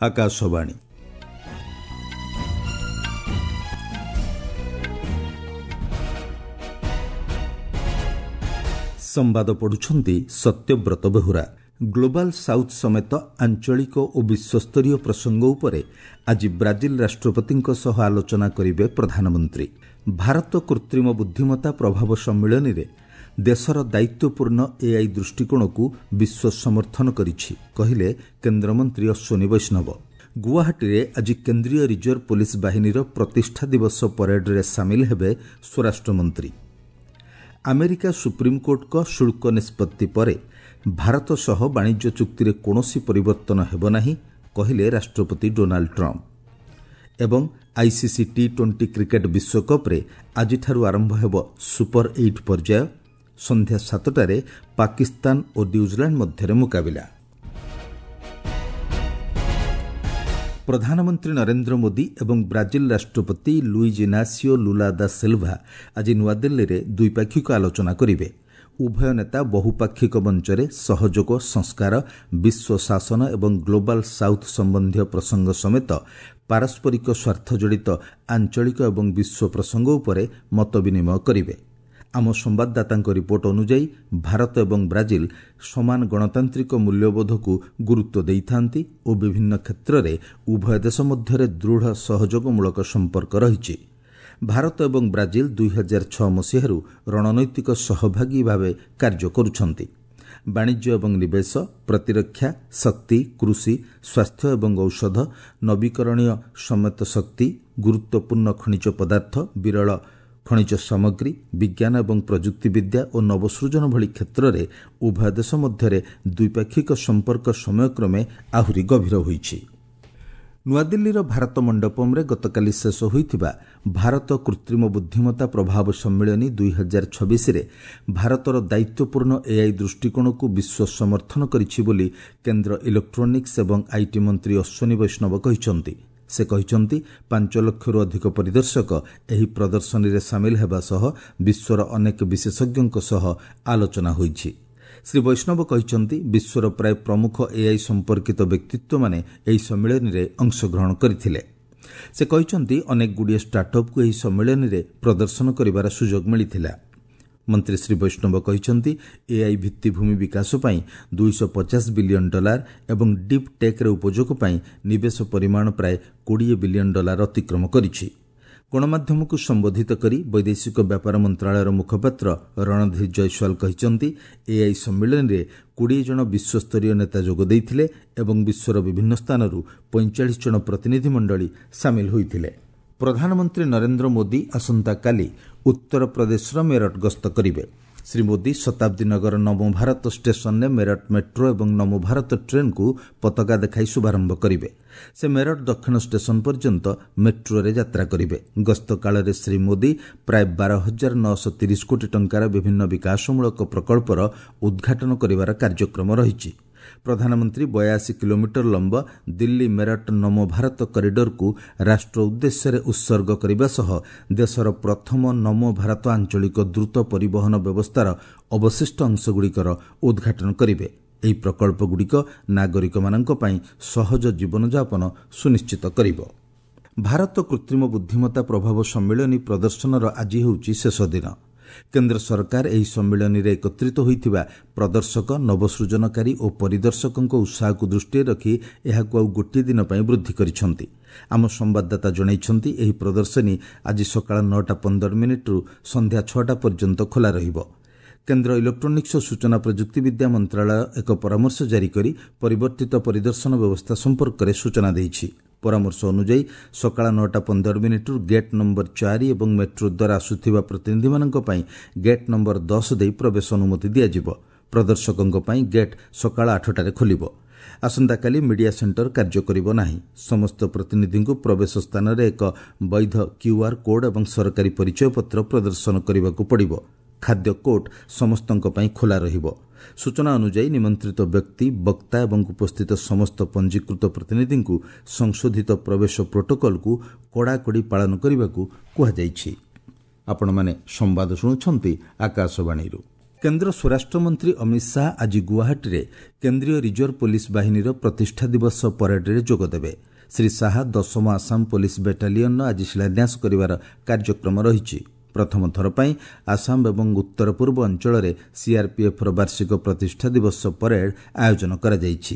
ଆକାଶବାଣୀ। ସମ୍ବାଦ ପଢୁଛନ୍ତି Satyabrata Behura. Global south ସମେତ ଆଞ୍ଚଳିକ ଓ ବିଶ୍ୱସ୍ତରୀୟ ପ୍ରସଙ୍ଗ ଉପରେ ଆଜି ବ୍ରାଜିଲ ରାଷ୍ଟ୍ରପତିଙ୍କ ସହ ଆଲୋଚନା କରିବେ ପ୍ରଧାନମନ୍ତ୍ରୀ। ଭାରତ କୃତ୍ରିମ ବୁଦ୍ଧିମତ୍ତା ପ୍ରଭାବ ସମ୍ମିଳନୀରେ ଦେଶର ଦାୟିତ୍ୱପୂର୍ଣ୍ଣ ଏଆଇ ଦୃଷ୍ଟିକୋଣକୁ ବିଶ୍ୱ ସମର୍ଥନ କରିଛି, କହିଲେ କେନ୍ଦ୍ରମନ୍ତ୍ରୀ ଅଶ୍ୱିନୀ ବୈଷ୍ଣବ। ଗୁଆହାଟୀରେ ଆଜି କେନ୍ଦ୍ରୀୟ ରିଜର୍ଭ ପୋଲିସ ବାହିନୀର ପ୍ରତିଷ୍ଠା ଦିବସ ପରେଡରେ ସାମିଲ ହେବେ ସ୍ୱରାଷ୍ଟ୍ରମନ୍ତ୍ରୀ। ଆମେରିକା ସୁପ୍ରିମକୋର୍ଟଙ୍କ ଶୁଳ୍କ ନିଷ୍ପତ୍ତି ପରେ ଭାରତ ସହ ବାଣିଜ୍ୟ ଚୁକ୍ତିରେ କୌଣସି ପରିବର୍ତ୍ତନ ହେବ ନାହିଁ, କହିଲେ ରାଷ୍ଟ୍ରପତି ଡୋନାଲ୍ଡ ଟ୍ରମ୍ପ। ଏବଂ ଆଇସିସି ଟି-20 କ୍ରିକେଟ ବିଶ୍ୱକପ୍ରେ ଆଜିଠାରୁ ଆରମ୍ଭ ହେବ ସୁପର ଏଇଟ୍ ପର୍ଯ୍ୟାୟ। ସନ୍ଧ୍ୟା 7ଟାରେ ପାକିସ୍ତାନ ଓ ନ୍ୟୁଜିଲାଣ୍ଡ ମଧ୍ୟରେ ମୁକାବିଲା। ପ୍ରଧାନମନ୍ତ୍ରୀ ନରେନ୍ଦ୍ର ମୋଦି ଏବଂ ବ୍ରାଜିଲ ରାଷ୍ଟ୍ରପତି ଲୁଇଜ୍ ଇନାସିଓ ଲୁଲା ଦା ସିଲ୍ଭା ଆଜି ନୂଆଦିଲ୍ଲୀରେ ଦ୍ୱିପାକ୍ଷିକ ଆଲୋଚନା କରିବେ। ଉଭୟ ନେତା ବହୁପାକ୍ଷିକ ମଞ୍ଚରେ ସହଯୋଗ, ସଂସ୍କାର, ବିଶ୍ୱ ଶାସନ ଏବଂ ଗ୍ଲୋବାଲ ସାଉଥ୍ ସମ୍ବନ୍ଧୀୟ ପ୍ରସଙ୍ଗ ସମେତ ପାରସ୍ପରିକ ସ୍ୱାର୍ଥ ଜଡ଼ିତ ଆଞ୍ଚଳିକ ଏବଂ ବିଶ୍ୱ ପ୍ରସଙ୍ଗ ଉପରେ ମତ ବିନିମୟ କରିବେ। ଆମ ସମ୍ବାଦଦାତାଙ୍କ ରିପୋର୍ଟ ଅନୁଯାୟୀ, ଭାରତ ଏବଂ ବ୍ରାଜିଲ ସମାନ ଗଣତାନ୍ତ୍ରିକ ମୂଲ୍ୟବୋଧକୁ ଗୁରୁତ୍ୱ ଦେଇଥାନ୍ତି ଓ ବିଭିନ୍ନ କ୍ଷେତ୍ରରେ ଉଭୟ ଦେଶ ମଧ୍ୟରେ ଦୃଢ଼ ସହଯୋଗମୂଳକ ସମ୍ପର୍କ ରହିଛି। ଭାରତ ଏବଂ ବ୍ରାଜିଲ 2006 ମସିହାରୁ ରଣନୈତିକ ସହଭାଗୀ ଭାବେ କାର୍ଯ୍ୟ କରୁଛନ୍ତି। ବାଣିଜ୍ୟ ଏବଂ ନିବେଶ, ପ୍ରତିରକ୍ଷା, ଶକ୍ତି, କୃଷି, ସ୍ୱାସ୍ଥ୍ୟ ଏବଂ ଔଷଧ, ନବୀକରଣୀୟ ସମେତ ଶକ୍ତି, ଗୁରୁତ୍ୱପୂର୍ଣ୍ଣ ଖଣିଜ ପଦାର୍ଥ, ବିରଳ ଖଣିଜ ସାମଗ୍ରୀ, ବିଜ୍ଞାନ ଏବଂ ପ୍ରଯୁକ୍ତିବିଦ୍ୟା ଓ ନବସୃଜନ ଭଳି କ୍ଷେତ୍ରରେ ଉଭୟ ଦେଶ ମଧ୍ୟରେ ଦ୍ୱିପାକ୍ଷିକ ସମ୍ପର୍କ ସମୟକ୍ରମେ ଆହୁରି ଗଭୀର ହୋଇଛି। ନୂଆଦିଲ୍ଲୀର ଭାରତ ମଣ୍ଡପମ୍ରେ ଗତକାଲି ଶେଷ ହୋଇଥିବା ଭାରତ କୃତ୍ରିମ ବୁଦ୍ଧିମତ୍ତା ପ୍ରଭାବ ସମ୍ମିଳନୀ 2026ରେ ଭାରତର ଦାୟିତ୍ୱପୂର୍ଣ୍ଣ ଏଆଇ ଦୃଷ୍ଟିକୋଣକୁ ବିଶ୍ୱ ସମର୍ଥନ କରିଛି ବୋଲି କେନ୍ଦ୍ର ଇଲେକ୍ଟ୍ରୋନିକ୍ସ ଏବଂ IT ମନ୍ତ୍ରୀ ଅଶ୍ୱିନୀ ବୈଷ୍ଣବ କହିଛନ୍ତି। ସେ କହିଛନ୍ତି, 5 ଲକ୍ଷରୁ ଅଧିକ ପରିଦର୍ଶକ ଏହି ପ୍ରଦର୍ଶନୀରେ ସାମିଲ ହେବା ସହ ବିଶ୍ୱର ଅନେକ ବିଶେଷଜ୍ଞଙ୍କ ସହ ଆଲୋଚନା ହୋଇଛି। ଶ୍ରୀ ବୈଷ୍ଣବ କହିଛନ୍ତି, ବିଶ୍ୱର ପ୍ରାୟ ପ୍ରମୁଖ ଏଆଇ ସମ୍ପର୍କିତ ବ୍ୟକ୍ତିତ୍ୱମାନେ ଏହି ସମ୍ମିଳନୀରେ ଅଂଶଗ୍ରହଣ କରିଥିଲେ। ସେ କହିଛନ୍ତି, ଅନେକଗୁଡ଼ିଏ ଷ୍ଟାର୍ଟଅପ୍କୁ ଏହି ସମ୍ମିଳନୀରେ ପ୍ରଦର୍ଶନ କରିବାର ସୁଯୋଗ ମିଳିଥିଲା। ମନ୍ତ୍ରୀ ଶ୍ରୀ ବୈଷ୍ଣବ କହିଛନ୍ତି, ଏଆଇ ଭିତ୍ତିଭୂମି ବିକାଶ ପାଇଁ $250 ବିଲିୟନ ଏବଂ ଡିପ୍ ଟେକ୍ର ଉପଯୋଗ ପାଇଁ ନିବେଶ ପରିମାଣ ପ୍ରାୟ $20 ବିଲିୟନ ଅତିକ୍ରମ କରିଛି। ଗଣମାଧ୍ୟମକୁ ସମ୍ବୋଧିତ କରି ବୈଦେଶିକ ବ୍ୟାପାର ମନ୍ତ୍ରଣାଳୟର ମୁଖପାତ୍ର ରଣଧୀର ଜୟସ୍ୱାଲ କହିଛନ୍ତି, ଏଆଇ ସମ୍ମିଳନୀରେ 20 ଜଣ ବିଶ୍ୱସ୍ତରୀୟ ନେତା ଯୋଗ ଦେଇଥିଲେ ଏବଂ ବିଶ୍ୱର ବିଭିନ୍ନ ସ୍ଥାନରୁ 45 ଜଣ ପ୍ରତିନିଧିମଣ୍ଡଳୀ ସାମିଲ ହୋଇଥିଲେ। ପ୍ରଧାନମନ୍ତ୍ରୀ ନରେନ୍ଦ୍ର ମୋଦି ଆସନ୍ତାକାଲି ଉତ୍ତରପ୍ରଦେଶର ମେରଠ ଗସ୍ତ କରିବେ। ଶ୍ରୀ ମୋଦି ଶତାବ୍ଦୀ ନଗର ନମୋ ଭାରତ ଷ୍ଟେସନରେ ମେରଠ ମେଟ୍ରୋ ଏବଂ ନମୋ ଭାରତ ଟ୍ରେନ୍କୁ ପତାକା ଦେଖାଇ ଶୁଭାରମ୍ଭ କରିବେ। ସେ ମେରଠ ଦକ୍ଷିଣ ଷ୍ଟେସନ ପର୍ଯ୍ୟନ୍ତ ମେଟ୍ରୋରେ ଯାତ୍ରା କରିବେ। ଗସ୍ତ କାଳରେ ଶ୍ରୀ ମୋଦି ପ୍ରାୟ 12,930 କୋଟି ଟଙ୍କାର ବିଭିନ୍ନ ବିକାଶମୂଳକ ପ୍ରକଳ୍ପର ଉଦ୍ଘାଟନ କରିବାର କାର୍ଯ୍ୟକ୍ରମ ରହିଛି। ପ୍ରଧାନମନ୍ତ୍ରୀ 82 କିଲୋମିଟର ଲମ୍ବ ଦିଲ୍ଲୀ ମେରଠ ନମୋ ଭାରତ କରିଡରକୁ ରାଷ୍ଟ୍ର ଉଦ୍ଦେଶ୍ୟରେ ଉତ୍ସର୍ଗ କରିବା ସହ ଦେଶର ପ୍ରଥମ ନମୋ ଭାରତ ଆଞ୍ଚଳିକ ଦ୍ରୁତ ପରିବହନ ବ୍ୟବସ୍ଥାର ଅବଶିଷ୍ଟ ଅଂଶଗୁଡ଼ିକର ଉଦ୍ଘାଟନ କରିବେ। ଏହି ପ୍ରକଳ୍ପଗୁଡ଼ିକ ନାଗରିକମାନଙ୍କ ପାଇଁ ସହଜ ଜୀବନଯାପନ ସୁନିଶ୍ଚିତ କରିବ। ଭାରତ କୃତ୍ରିମ ବୁଦ୍ଧିମତ୍ତା ପ୍ରଭାବ ସମ୍ମିଳନୀ ପ୍ରଦର୍ଶନର ଆଜି ହେଉଛି ଶେଷ ଦିନ। କେନ୍ଦ୍ର ସରକାର ଏହି ସମ୍ମିଳନୀରେ ଏକତ୍ରିତ ହୋଇଥିବା ପ୍ରଦର୍ଶକ, ନବସୃଜନକାରୀ ଓ ପରିଦର୍ଶକଙ୍କ ଉତ୍ସାହକୁ ଦୃଷ୍ଟିରେ ରଖି ଏହାକୁ ଆଉ ଗୋଟିଏ ଦିନ ପାଇଁ ବୃଦ୍ଧି କରିଛନ୍ତି। ଆମ ସମ୍ବାଦଦାତା ଜଣାଇଛନ୍ତି, ଏହି ପ୍ରଦର୍ଶନୀ ଆଜି ସକାଳ 9ଟା 15 ମିନିଟ୍ରୁ ସନ୍ଧ୍ୟା 6ଟା ପର୍ଯ୍ୟନ୍ତ ଖୋଲା ରହିବ। କେନ୍ଦ୍ର ଇଲେକ୍ଟ୍ରୋନିକ୍ସ ଓ ସୂଚନା ପ୍ରଯୁକ୍ତିବିଦ୍ୟା ମନ୍ତ୍ରଣାଳୟ ଏକ ପରାମର୍ଶ ଜାରି କରି ପରିବର୍ତ୍ତିତ ପରିଦର୍ଶନ ବ୍ୟବସ୍ଥା ସମ୍ପର୍କରେ ସୂଚନା ଦେଇଛି। ପରାମର୍ଶ ଅନୁଯାୟୀ, ସକାଳ 9ଟା 15 ମିନିଟ୍ରୁ ଗେଟ୍ ନମ୍ବର 4 ଏବଂ ମେଟ୍ରୋ ଦ୍ୱାରା ଆସୁଥିବା ପ୍ରତିନିଧିମାନଙ୍କ ପାଇଁ ଗେଟ୍ ନମ୍ବର 10 ଦେଇ ପ୍ରବେଶ ଅନୁମତି ଦିଆଯିବ। ପ୍ରଦର୍ଶକଙ୍କ ପାଇଁ ଗେଟ୍ ସକାଳ 8ଟାରେ ଖୋଲିବ। ଆସନ୍ତାକାଲି ମିଡିଆ ସେଣ୍ଟର କାର୍ଯ୍ୟ କରିବ ନାହିଁ। ସମସ୍ତ ପ୍ରତିନିଧିଙ୍କୁ ପ୍ରବେଶ ସ୍ଥାନରେ ଏକ ବୈଧ କ୍ୟୁଆର୍ କୋଡ୍ ଏବଂ ସରକାରୀ ପରିଚୟପତ୍ର ପ୍ରଦର୍ଶନ କରିବାକୁ ପଡ଼ିବ। ଖାଦ୍ୟ କୋର୍ଟ ସମସ୍ତଙ୍କ ପାଇଁ ଖୋଲା ରହିବ। ସୂଚନା ଅନୁଯାୟୀ, ନିମନ୍ତ୍ରିତ ବ୍ୟକ୍ତି, ବକ୍ତା ଏବଂ ଉପସ୍ଥିତ ସମସ୍ତ ପଞ୍ଜୀକୃତ ପ୍ରତିନିଧିଙ୍କୁ ସଂଶୋଧିତ ପ୍ରବେଶ ପ୍ରୋଟୋକଲକୁ କଡ଼ାକଡ଼ି ପାଳନ କରିବାକୁ କୁହାଯାଇଛି। ଆପଣମାନେ ସମ୍ବାଦ ଶୁଣୁଛନ୍ତି ଆକାଶବାଣୀରୁ। କେନ୍ଦ୍ର ସ୍ୱରାଷ୍ଟ୍ରମନ୍ତ୍ରୀ ଅମିତ ଶାହା ଆଜି ଗୁଆହାଟୀରେ କେନ୍ଦ୍ରୀୟ ରିଜର୍ଭ ପୋଲିସ ବାହିନୀର ପ୍ରତିଷ୍ଠା ଦିବସ ପରେଡରେ ଯୋଗଦେବେ। ଶ୍ରୀ ଶାହା 10ମ ଆସାମ ପୋଲିସ ବାଟାଲିୟନର ଆଜି ଶିଳାନ୍ୟାସ କରିବାର କାର୍ଯ୍ୟକ୍ରମ ରହିଛି। ପ୍ରଥମ ଥର ପାଇଁ ଆସାମ ଏବଂ ଉତ୍ତର ପୂର୍ବ ଅଞ୍ଚଳରେ ସିଆର୍ପିଏଫ୍ର ବାର୍ଷିକ ପ୍ରତିଷ୍ଠା ଦିବସ ପରେଡ୍ ଆୟୋଜନ କରାଯାଇଛି।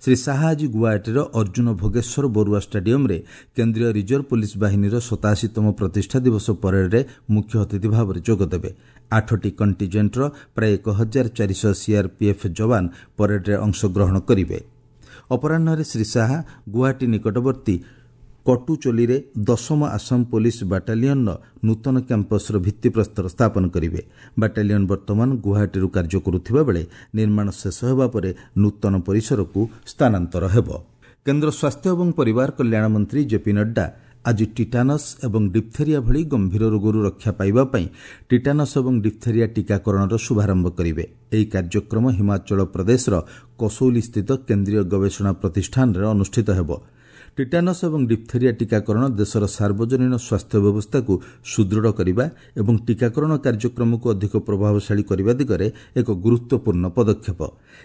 ଶ୍ରୀ ଶାହା ଆଜି ଗୁଆହାଟୀର ଅର୍ଜୁନ ଭୋଗେଶ୍ୱର ବରୁଆ ଷ୍ଟାଡିୟମ୍ରେ କେନ୍ଦ୍ରୀୟ ରିଜର୍ଭ ପୋଲିସ ବାହିନୀର 87ତମ ପ୍ରତିଷ୍ଠା ଦିବସ ପରେଡ୍ରେ ମୁଖ୍ୟ ଅତିଥି ଭାବରେ ଯୋଗଦେବେ। 8ଟି କଣ୍ଟିଜେଣ୍ଟର ପ୍ରାୟ 1400 ସିଆର୍ପିଏଫ୍ ଯବାନ ପରେଡ୍ରେ ଅଂଶଗ୍ରହଣ କରିବେ। ଅପରାହ୍ନରେ ଶ୍ରୀ ଶାହା ଗୁଆହାଟୀ ନିକଟବର୍ତ୍ତୀ କଟୁଚୋଲିରେ 10ମ ଆସାମ ପୋଲିସ ବାଟାଲିୟନର ନୂତନ କ୍ୟାମ୍ପସର ଭିତ୍ତିପ୍ରସ୍ତର ସ୍ଥାପନ କରିବେ। ବାଟାଲିୟନ ବର୍ତ୍ତମାନ ଗୁଆହାଟୀରୁ କାର୍ଯ୍ୟ କରୁଥିବା ବେଳେ ନିର୍ମାଣ ଶେଷ ହେବା ପରେ ନୂତନ ପରିସରକୁ ସ୍ଥାନାନ୍ତର ହେବ। କେନ୍ଦ୍ର ସ୍ୱାସ୍ଥ୍ୟ ଏବଂ ପରିବାର କଲ୍ୟାଣ ମନ୍ତ୍ରୀ ଜେପି ନଡ୍ଡା ଆଜି ଟିଟାନସ୍ ଏବଂ ଡିପ୍ଥେରିଆ ଭଳି ଗମ୍ଭୀର ରୋଗରୁ ରକ୍ଷା ପାଇବା ପାଇଁ ଟିଟାନସ୍ ଏବଂ ଡିପ୍ଥେରିଆ ଟିକାକରଣର ଶୁଭାରମ୍ଭ କରିବେ। ଏହି କାର୍ଯ୍ୟକ୍ରମ ହିମାଚଳ ପ୍ରଦେଶର କସୌଲିସ୍ଥିତ କେନ୍ଦ୍ରୀୟ ଗବେଷଣା ପ୍ରତିଷ୍ଠାନରେ ଅନୁଷ୍ଠିତ ହେବ। ଟିଟାନସ୍ ଏବଂ ଡିପ୍ଥେରିଆ ଟିକାକରଣ ଦେଶର ସାର୍ବଜନୀନ ସ୍ୱାସ୍ଥ୍ୟ ବ୍ୟବସ୍ଥାକୁ ସୁଦୃଢ଼ କରିବା ଏବଂ ଟିକାକରଣ କାର୍ଯ୍ୟକ୍ରମକୁ ଅଧିକ ପ୍ରଭାବଶାଳୀ କରିବା ଦିଗରେ ଏକ ଗୁରୁତ୍ୱପୂର୍ଣ୍ଣ ପଦକ୍ଷେପ।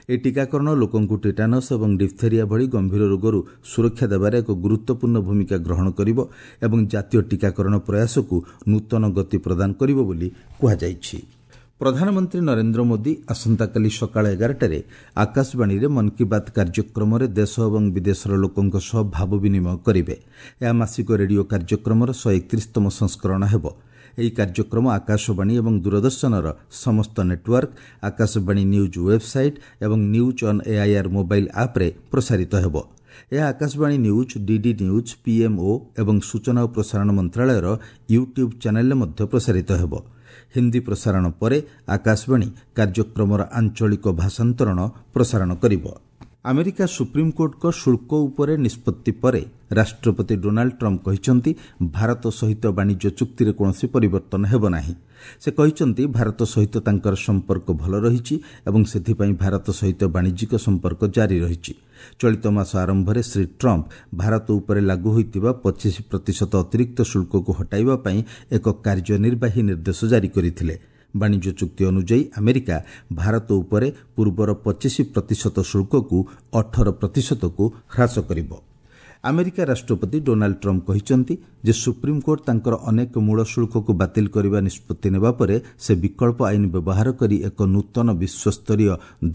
ଏହି ଟିକାକରଣ ଲୋକଙ୍କୁ ଟିଟାନସ୍ ଏବଂ ଡିପ୍ଥେରିଆ ଭଳି ଗମ୍ଭୀର ରୋଗରୁ ସୁରକ୍ଷା ଦେବାରେ ଏକ ଗୁରୁତ୍ୱପୂର୍ଣ୍ଣ ଭୂମିକା ଗ୍ରହଣ କରିବ ଏବଂ ଜାତୀୟ ଟିକାକରଣ ପ୍ରୟାସକୁ ନୂତନ ଗତି ପ୍ରଦାନ କରିବ ବୋଲି କୁହାଯାଇଛି। ପ୍ରଧାନମନ୍ତ୍ରୀ ନରେନ୍ଦ୍ର ମୋଦି ଆସନ୍ତାକାଲି ସକାଳ 11ଟାରେ ଆକାଶବାଣୀରେ ମନ୍ କି ବାତ୍ କାର୍ଯ୍ୟକ୍ରମରେ ଦେଶ ଏବଂ ବିଦେଶର ଲୋକଙ୍କ ସହ ଭାବ ବିନିମୟ କରିବେ। ଏହା ମାସିକ ରେଡିଓ କାର୍ଯ୍ୟକ୍ରମର 131ତମ ସଂସ୍କରଣ ହେବ। ଏହି କାର୍ଯ୍ୟକ୍ରମ ଆକାଶବାଣୀ ଏବଂ ଦୂରଦର୍ଶନର ସମସ୍ତ ନେଟୱାର୍କ, ଆକାଶବାଣୀ ନ୍ୟୁଜ୍ ୱେବ୍ସାଇଟ୍ ଏବଂ ନ୍ୟୁଜ୍ ଅନ୍ ଏଆଇଆର୍ ମୋବାଇଲ୍ ଆପ୍ରେ ପ୍ରସାରିତ ହେବ। ଏହା Akashvani news, DD news, PMO ଏବଂ ସୂଚନା ଓ ପ୍ରସାରଣ ମନ୍ତ୍ରଣାଳୟର ୟୁଟ୍ୟୁବ୍ ଚ୍ୟାନେଲ୍ରେ ମଧ୍ୟ ପ୍ରସାରିତ ହେବ। ହିନ୍ଦୀ ପ୍ରସାରଣ ପରେ ଆକାଶବାଣୀ କାର୍ଯ୍ୟକ୍ରମର ଆଞ୍ଚଳିକ ଭାଷାନ୍ତରଣ ପ୍ରସାରଣ କରିବ। ଆମେରିକା ସୁପ୍ରିମକୋର୍ଟଙ୍କ ଶୁଳ୍କ ଉପରେ ନିଷ୍ପତ୍ତି ପରେ ରାଷ୍ଟ୍ରପତି ଡୋନାଲ୍ଡ ଟ୍ରମ୍ପ କହିଛନ୍ତି, ଭାରତ ସହିତ ବାଣିଜ୍ୟ ଚୁକ୍ତିରେ କୌଣସି ପରିବର୍ତ୍ତନ ହେବ ନାହିଁ। ସେ କହିଛନ୍ତି, ଭାରତ ସହିତ ତାଙ୍କର ସମ୍ପର୍କ ଭଲ ରହିଛି ଏବଂ ସେଥିପାଇଁ ଭାରତ ସହିତ ବାଣିଜ୍ୟିକ ସମ୍ପର୍କ ଜାରି ରହିଛି। ଚଳିତ ମାସ ଆରମ୍ଭରେ ଶ୍ରୀ ଟ୍ରମ୍ପ ଭାରତ ଉପରେ ଲାଗୁ ହୋଇଥିବା 25% ଅତିରିକ୍ତ ଶୁଳ୍କକୁ ହଟାଇବା ପାଇଁ ଏକ କାର୍ଯ୍ୟନିର୍ବାହୀ ନିର୍ଦ୍ଦେଶ ଜାରି କରିଥିଲେ। ବାଣିଜ୍ୟ ଚୁକ୍ତି ଅନୁଯାୟୀ ଆମେରିକା ଭାରତ ଉପରେ ପୂର୍ବର 25% ଶୁଳ୍କକୁ 18%କୁ ହ୍ରାସ କରିବ। ଆମେରିକା ରାଷ୍ଟ୍ରପତି ଡୋନାଲ୍ଡ ଟ୍ରମ୍ପ କହିଛନ୍ତି ଯେ ସୁପ୍ରିମକୋର୍ଟ ତାଙ୍କର ଅନେକ ମୂଳ ଶୁଳ୍କକୁ ବାତିଲ କରିବା ନିଷ୍ପତ୍ତି ନେବା ପରେ ସେ ବିକଳ୍ପ ଆଇନ ବ୍ୟବହାର କରି ଏକ ନୂତନ ବିଶ୍ୱସ୍ତରୀୟ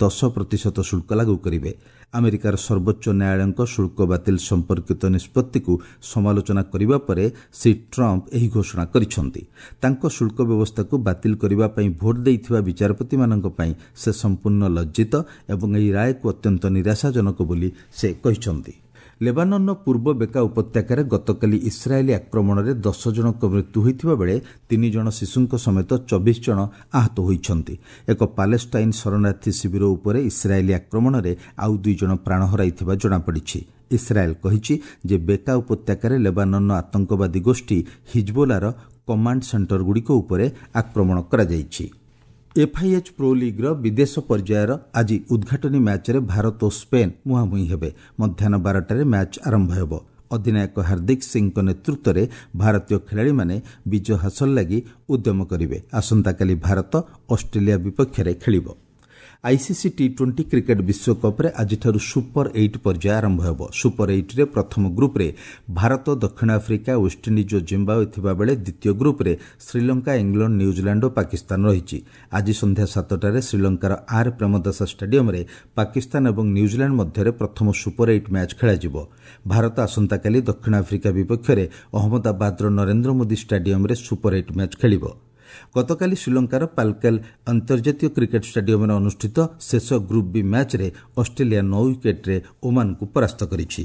10% ଶୁଳ୍କ ଲାଗୁ କରିବେ। ଆମେରିକାର ସର୍ବୋଚ୍ଚ ନ୍ୟାୟାଳୟଙ୍କ ଶୁଳ୍କ ବାତିଲ ସମ୍ପର୍କିତ ନିଷ୍ପତ୍ତିକୁ ସମାଲୋଚନା କରିବା ପରେ ଶ୍ରୀ ଟ୍ରମ୍ପ ଏହି ଘୋଷଣା କରିଛନ୍ତି। ତାଙ୍କ ଶୁଳ୍କ ବ୍ୟବସ୍ଥାକୁ ବାତିଲ କରିବା ପାଇଁ ଭୋଟ ଦେଇଥିବା ବିଚାରପତିମାନଙ୍କ ପାଇଁ ସେ ସମ୍ପୂର୍ଣ୍ଣ ଲଜ୍ଜିତ ଏବଂ ଏହି ରାୟକୁ ଅତ୍ୟନ୍ତ ନିରାଶାଜନକ ବୋଲି ସେ କହିଛନ୍ତି। ଲେବାନନ୍ର ପୂର୍ବ ବେକା ଉପତ୍ୟକାରେ ଗତକାଲି ଇସ୍ରାଏଲୀ ଆକ୍ରମଣରେ 10 ଜଣଙ୍କ ମୃତ୍ୟୁ ହୋଇଥିବା ବେଳେ 3 ଜଣ ଶିଶୁଙ୍କ ସମେତ 24 ଜଣ ଆହତ ହୋଇଛନ୍ତି। ଏକ ପାଲେଷ୍ଟାଇନ୍ ଶରଣାର୍ଥୀ ଶିବିର ଉପରେ ଇସ୍ରାଏଲୀ ଆକ୍ରମଣରେ ଆଉ 2 ଜଣ ପ୍ରାଣ ହରାଇଥିବା ଜଣାପଡ଼ିଛି। ଇସ୍ରାଏଲ୍ କହିଛି ଯେ ବେକା ଉପତ୍ୟକାରେ ଲେବାନନ୍ର ଆତଙ୍କବାଦୀ ଗୋଷ୍ଠୀ ହିଜବୋଲାର କମାଣ୍ଡ ସେଣ୍ଟରଗୁଡ଼ିକ ଉପରେ ଆକ୍ରମଣ କରାଯାଇଛି। ଏଫ୍ଆଇଏଚ୍ ପ୍ରୋ ଲିଗ୍ର ବିଦେଶ ପର୍ଯ୍ୟାୟର ଆଜି ଉଦ୍ଘାଟନୀ ମ୍ୟାଚ୍ରେ ଭାରତ ଓ ସ୍ପେନ୍ ମୁହାଁମୁହିଁ ହେବେ। ମଧ୍ୟାହ୍ନ 12ଟାରେ ମ୍ୟାଚ୍ ଆରମ୍ଭ ହେବ। ଅଧିନାୟକ ହାର୍ଦ୍ଦିକ ସିଂଙ୍କ ନେତୃତ୍ୱରେ ଭାରତୀୟ ଖେଳାଳିମାନେ ବିଜୟ ହାସଲ ଲାଗି ଉଦ୍ୟମ କରିବେ। ଆସନ୍ତାକାଲି ଭାରତ ଅଷ୍ଟ୍ରେଲିଆ ବିପକ୍ଷରେ ଖେଳିବ। ଆଇସିସି ଟି-20 କ୍ରିକେଟ୍ ବିଶ୍ୱକପ୍ରେ ଆଜିଠାରୁ ସୁପର ଏଇଟ୍ ପର୍ଯ୍ୟାୟ ଆରମ୍ଭ ହେବ। ସୁପର ଏଇଟ୍ରେ ପ୍ରଥମ ଗ୍ରୁପ୍ରେ ଭାରତ, ଦକ୍ଷିଣ ଆଫ୍ରିକା, ୱେଷ୍ଟଇଣ୍ଡିଜ୍ ଓ ଜିମ୍ବାୱେ ଥିବାବେଳେ ଦ୍ୱିତୀୟ ଗ୍ରୁପ୍ରେ ଶ୍ରୀଲଙ୍କା, ଇଂଲଣ୍ଡ, ନ୍ୟୁଜିଲାଣ୍ଡ ଓ ପାକିସ୍ତାନ ରହିଛି। ଆଜି ସନ୍ଧ୍ୟା 7ଟାରେ ଶ୍ରୀଲଙ୍କାର ଆର୍ ପ୍ରେମଦାସା ଷ୍ଟାଡିୟମ୍ରେ ପାକିସ୍ତାନ ଏବଂ ନ୍ୟୁଜିଲାଣ୍ଡ ମଧ୍ୟରେ ପ୍ରଥମ ସୁପର ଏଇଟ୍ ମ୍ୟାଚ୍ ଖେଳାଯିବ। ଭାରତ ଆସନ୍ତାକାଲି ଦକ୍ଷିଣ ଆଫ୍ରିକା ବିପକ୍ଷରେ ଅହମ୍ମଦାବାଦର ନରେନ୍ଦ୍ର ମୋଦି ଷ୍ଟାଡିୟମ୍ରେ ସୁପର ଏଇଟ୍ ମ୍ୟାଚ୍ ଖେଳିବ। ଗତକାଲି ଶ୍ରୀଲଙ୍କାର ପାଲକେଲ ଅନ୍ତର୍ଜାତୀୟ କ୍ରିକେଟ୍ ଷ୍ଟାଡିୟମ୍ରେ ଅନୁଷ୍ଠିତ ଶେଷ ଗ୍ରୁପ୍ ବି ମ୍ୟାଚ୍ରେ ଅଷ୍ଟ୍ରେଲିଆ 9 ୱିକେଟ୍ରେ ଓମାନକୁ ପରାସ୍ତ କରିଛି।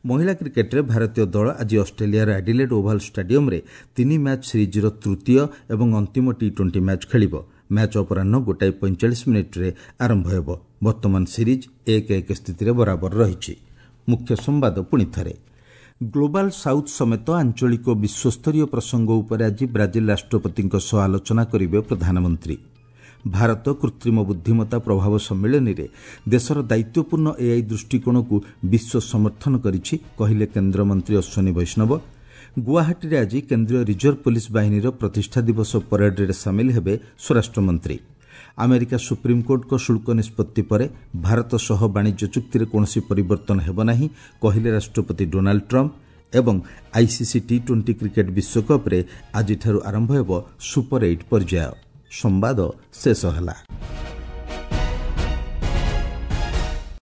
ମହିଳା କ୍ରିକେଟ୍ରେ ଭାରତୀୟ ଦଳ ଆଜି ଅଷ୍ଟ୍ରେଲିଆର ଆଡିଲେଡ୍ ଓଭାଲ୍ ଷ୍ଟାଡିୟମ୍ରେ 3 ମ୍ୟାଚ୍ ସିରିଜ୍ର ତୃତୀୟ ଏବଂ ଅନ୍ତିମ ଟି-20 ମ୍ୟାଚ୍ ଖେଳିବ। ମ୍ୟାଚ୍ ଅପରାହ୍ନ 1:45 ଆରମ୍ଭ ହେବ। ବର୍ତ୍ତମାନ ସିରିଜ୍ 1-1 ସ୍ଥିତିରେ ବରାବର ରହିଛି। ମୁଖ୍ୟ ସମ୍ବାଦ ପୁଣି ଥରେ। ଗ୍ଲୋବାଲ୍ ସାଉଥ୍ ସମେତ ଆଞ୍ଚଳିକ ଓ ବିଶ୍ୱସ୍ତରୀୟ ପ୍ରସଙ୍ଗ ଉପରେ ଆଜି ବ୍ରାଜିଲ ରାଷ୍ଟ୍ରପତିଙ୍କ ସହ ଆଲୋଚନା କରିବେ ପ୍ରଧାନମନ୍ତ୍ରୀ। ଭାରତ କୃତ୍ରିମ ବୁଦ୍ଧିମତ୍ତା ପ୍ରଭାବ ସମ୍ମିଳନୀରେ ଦେଶର ଦାୟିତ୍ୱପୂର୍ଣ୍ଣ ଏଆଇ ଦୃଷ୍ଟିକୋଣକୁ ବିଶ୍ୱ ସମର୍ଥନ କରିଛି, କହିଲେ କେନ୍ଦ୍ରମନ୍ତ୍ରୀ ଅଶ୍ୱିନୀ ବୈଷ୍ଣବ। ଗୁଆହାଟୀରେ ଆଜି କେନ୍ଦ୍ରୀୟ ରିଜର୍ଭ ପୋଲିସ ବାହିନୀର ପ୍ରତିଷ୍ଠା ଦିବସ ପରେଡ୍ରେ ସାମିଲ ହେବେ ସ୍ୱରାଷ୍ଟ୍ରମନ୍ତ୍ରୀ। ଆମେରିକା ସୁପ୍ରିମକୋର୍ଟଙ୍କ ଶୁଳ୍କ ନିଷ୍ପତ୍ତି ପରେ ଭାରତ ସହ ବାଣିଜ୍ୟ ଚୁକ୍ତିରେ କୌଣସି ପରିବର୍ତ୍ତନ ହେବ ନାହିଁ, କହିଲେ ରାଷ୍ଟ୍ରପତି ଡୋନାଲ୍ଡ ଟ୍ରମ୍ପ। ଏବଂ ଆଇସିସି ଟି-20 କ୍ରିକେଟ୍ ବିଶ୍ୱକପ୍ରେ ଆଜିଠାରୁ ଆରମ୍ଭ ହେବ ସୁପର 8 ପର୍ଯ୍ୟାୟ। ସମ୍ବାଦ ଶେଷ ହେଲା।